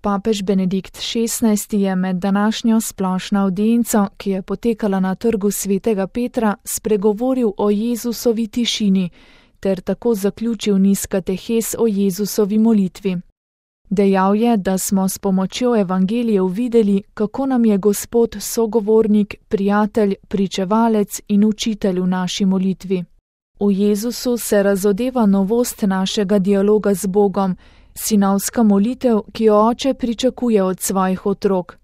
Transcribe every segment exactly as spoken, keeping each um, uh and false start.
papež Benedikt šestnajsti je med današnjo splošno avdienco, ki je potekala na trgu svetega Petra, spregovoril o Jezusovi tišini ter tako zaključil niz katehes o Jezusovi molitvi. Dejal je, da smo s pomočjo evangelijev videli, kako nam je Gospod sogovornik, prijatelj, pričevalec in učitelj v naši molitvi. V Jezusu se razodeva novost našega dialoga z Bogom, sinovska molitev, ki jo oče pričakuje od svojih otrok.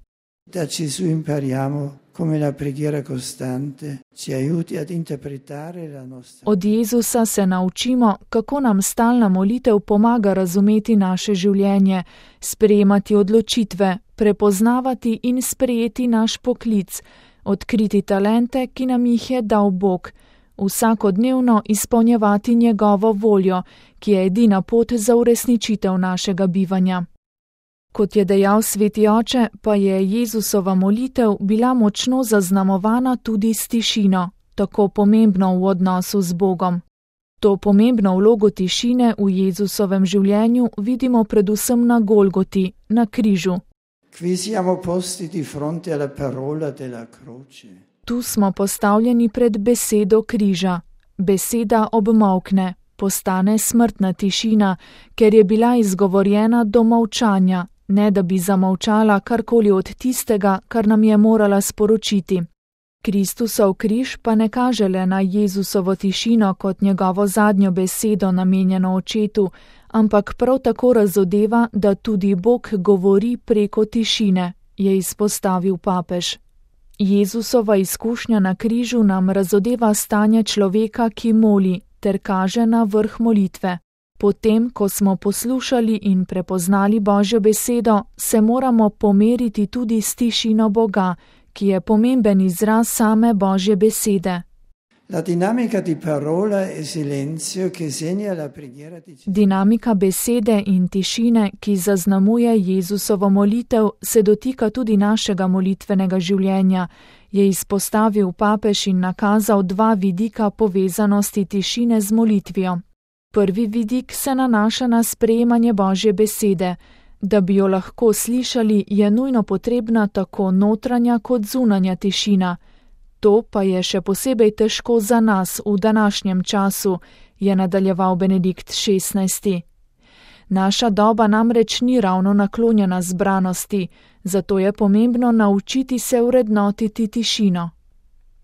Da Gesù impariamo come la preghiera costante ci aiuti ad interpretare la nostra. Od Jezusa se naučimo, kako nam stalna molitev pomaga razumeti naše življenje, sprejemati odločitve, prepoznavati in sprejeti naš poklic, odkriti talente, ki nam jih je dal Bog, vsakodnevno izpolnjevati njegovo voljo, ki je edina pot za uresničitev našega bivanja. Kot je dejal sveti oče, pa je Jezusova molitev bila močno zaznamovana tudi s tišino, tako pomembno v odnosu z Bogom. To pomembno vlogo tišine v Jezusovem življenju vidimo predvsem na Golgoti, na križu. Qui siamo posti di fronte alla parola della croce. Tu smo postavljeni pred besedo križa. Beseda obmolkne, postane smrtna tišina, ker je bila izgovorjena do molčanja, ne da bi zamolčala karkoli od tistega, kar nam je morala sporočiti. Kristusov križ pa ne kaže le na Jezusovo tišino kot njegovo zadnjo besedo namenjeno očetu, ampak prav tako razodeva, da tudi Bog govori preko tišine, je izpostavil papež. Jezusova izkušnja na križu nam razodeva stanje človeka, ki moli, ter kaže na vrh molitve. Potem, ko smo poslušali in prepoznali Božjo besedo, se moramo pomeriti tudi s tišino Boga, ki je pomemben izraz same Božje besede. La dinamica di parola e silenzio che segna la preghiera di Gesù. Dinamika besede in tišine, ki zaznamuje Jezusovo molitev, se dotika tudi našega molitvenega življenja, je izpostavil papež in nakazal dva vidika povezanosti tišine z molitvijo. Prvi vidik se nanaša na sprejemanje Božje besede. Da bi jo lahko slišali, je nujno potrebna tako notranja kot zunanja tišina. To pa je še posebej težko za nas v današnjem času, je nadaljeval Benedikt šestnajsti. Naša doba namreč ni ravno naklonjena zbranosti, zato je pomembno naučiti se vrednotiti tišino.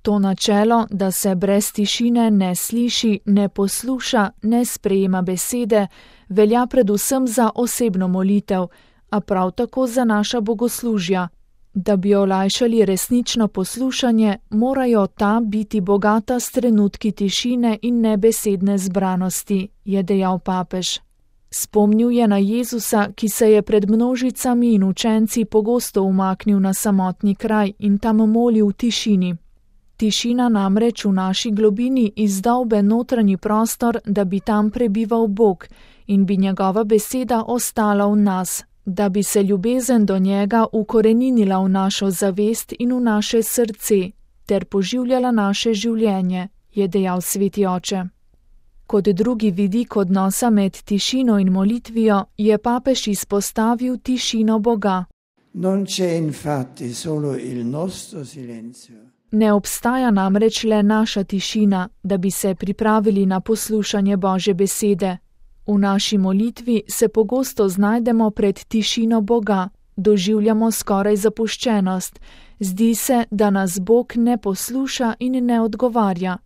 To načelo, da se brez tišine ne sliši, ne posluša, ne sprejema besede, velja predvsem za osebno molitev, a prav tako za naša bogoslužja. Da bi olajšali resnično poslušanje, morajo ta biti bogata s trenutki tišine in nebesedne zbranosti, je dejal papež. Spomnil je na Jezusa, ki se je pred množicami in učenci pogosto umaknil na samotni kraj in tam molil v tišini. Tišina namreč v naši globini izdolbe notranji prostor, da bi tam prebival Bog in bi njegova beseda ostala v nas, da bi se ljubezen do njega ukoreninila v našo zavest in v naše srce, ter poživljala naše življenje, je dejal sveti oče. Kot drugi vidik odnosa med tišino in molitvijo je papež izpostavil tišino Boga. Non c'è infatti solo il nostro silenzio. Ne obstaja namreč le naša tišina, da bi se pripravili na poslušanje Božje besede. V naši molitvi se pogosto znajdemo pred tišino Boga, doživljamo skoraj zapuščenost, zdi se, da nas Bog ne posluša in ne odgovarja.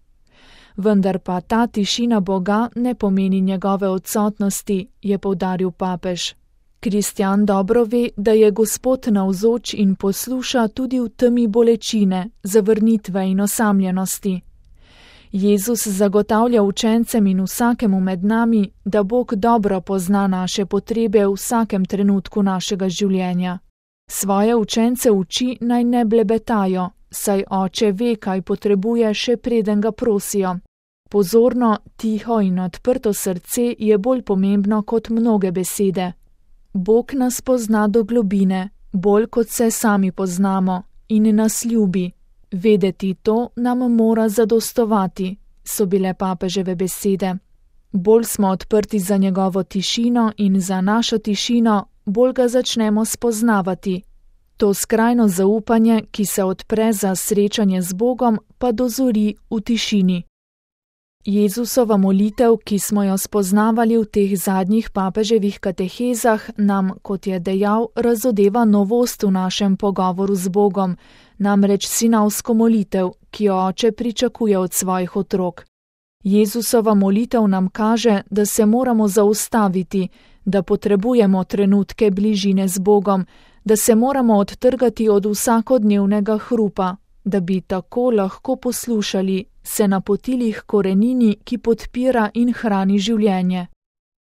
Vendar pa ta tišina Boga ne pomeni njegove odsotnosti, je poudaril papež. Kristjan dobro ve, da je Gospod navzoč in posluša tudi v temi bolečine, zavrnitve in osamljenosti. Jezus zagotavlja učencem in vsakemu med nami, da Bog dobro pozna naše potrebe v vsakem trenutku našega življenja. Svoje učence uči naj ne blebetajo, saj oče ve, kaj potrebuje, še preden ga prosijo. Pozorno, tiho in odprto srce je bolj pomembno kot mnoge besede. Bog nas pozna do globine, bolj kot se sami poznamo, in nas ljubi. Vedeti to nam mora zadostovati, so bile papeževe besede. Bolj smo odprti za njegovo tišino in za našo tišino, bolj ga začnemo spoznavati. To skrajno zaupanje, ki se odpre za srečanje z Bogom, pa dozori v tišini. Jezusova molitev, ki smo jo spoznavali v teh zadnjih papeževih katehezah, nam, kot je dejal, razodeva novost v našem pogovoru z Bogom, namreč sinovsko molitev, ki jo oče pričakuje od svojih otrok. Jezusova molitev nam kaže, da se moramo zaustaviti, da potrebujemo trenutke bližine z Bogom, da se moramo odtrgati od vsakodnevnega hrupa, da bi tako lahko poslušali, se napotili k korenini, ki podpira in hrani življenje.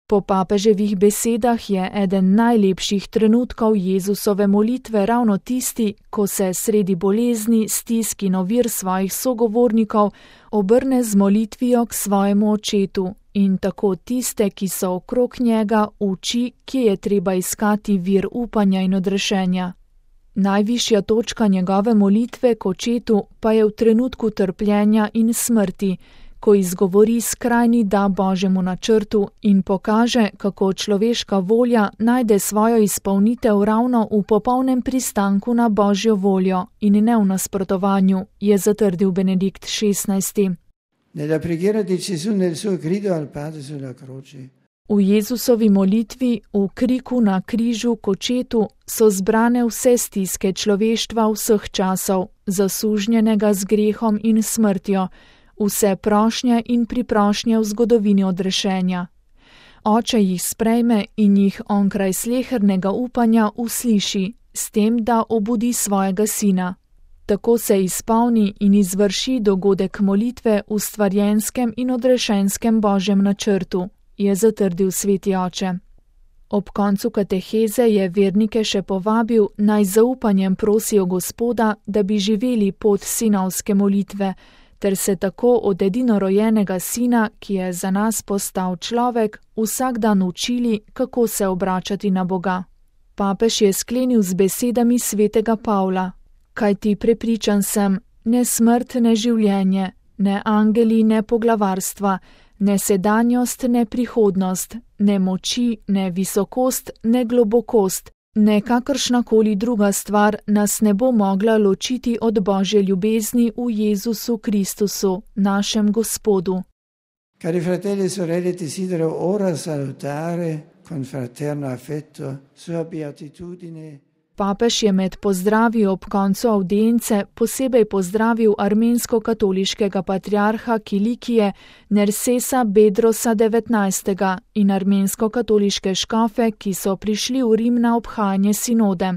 Po papeževih besedah je eden najlepših trenutkov Jezusove molitve ravno tisti, ko se sredi bolezni, stisk in ovir svojih sogovornikov obrne z molitvijo k svojemu očetu in tako tiste, ki so okrog njega, uči, kje je treba iskati vir upanja in odrešenja. Najvišja točka njegove molitve k očetu pa je v trenutku trpljenja in smrti, ko izgovori skrajni da Božjemu načrtu in pokaže, kako človeška volja najde svojo izpolnitev ravno v popolnem pristanku na Božjo voljo in ne v nasprotovanju, je zatrdil Benedikt šestnajsti. Nella preghiera di Gesù nel suo grido al Padre sulla croce. V Jezusovi molitvi, v kriku na križu k očetu, so zbrane vse stiske človeštva vseh časov, zasužnjenega z grehom in smrtjo, vse prošnje in priprošnje v zgodovini odrešenja. Oče jih sprejme in jih onkraj slehernega upanja usliši, s tem, da obudi svojega sina. Tako se izpolni in izvrši dogodek molitve v stvarjenskem in odrešenskem Božjem načrtu, je zatrdil sveti oče. Ob koncu kateheze je vernike še povabil, naj zaupanjem prosijo Gospoda, da bi živeli pot sinovske molitve, ter se tako od edinorojenega sina, ki je za nas postal človek, vsak dan učili, kako se obračati na Boga. Papež je sklenil z besedami svetega Pavla: kajti prepričan sem, ne smrt, ne življenje, ne angeli, ne poglavarstva, ne sedanjost, ne prihodnost, ne moči, ne visokost, ne globokost, ne kakršnakoli druga stvar nas ne bo mogla ločiti od Božje ljubezni v Jezusu Kristusu, našem Gospodu. Cari fratelli e sorelle, desidero ora salutare con fraterno affetto sua beatitudine. Papež je med pozdravi ob koncu avdience posebej pozdravil armensko-katoliškega patriarha Kilikije Nersesa Bedrosa devetnajstega in armensko-katoliške škofe, ki so prišli v Rim na obhajanje sinode.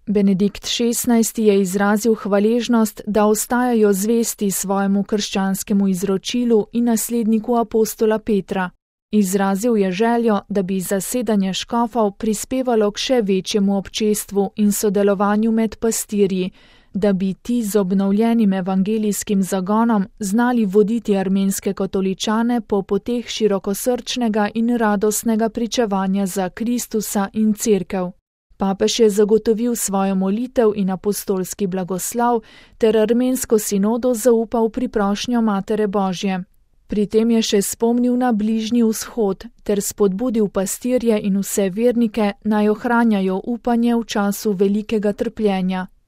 Benedikt šestnajsti je izrazil hvaležnost, da ostajajo zvesti svojemu krščanskemu izročilu in nasledniku apostola Petra. Izrazil je željo, da bi zasedanje škofov prispevalo k še večjemu občestvu in sodelovanju med pastirji, da bi ti z obnovljenim evangelijskim zagonom znali voditi armenske katoličane po poteh širokosrčnega in radostnega pričevanja za Kristusa in Cerkev. Papež je zagotovil svojo molitev in apostolski blagoslav ter armensko sinodo zaupal priprošnjo Matere Božje. Pri tem je še spomnil na Bližnji vzhod ter spodbudil pastirje in vse vernike, naj ohranjajo upanje v času velikega trpljenja.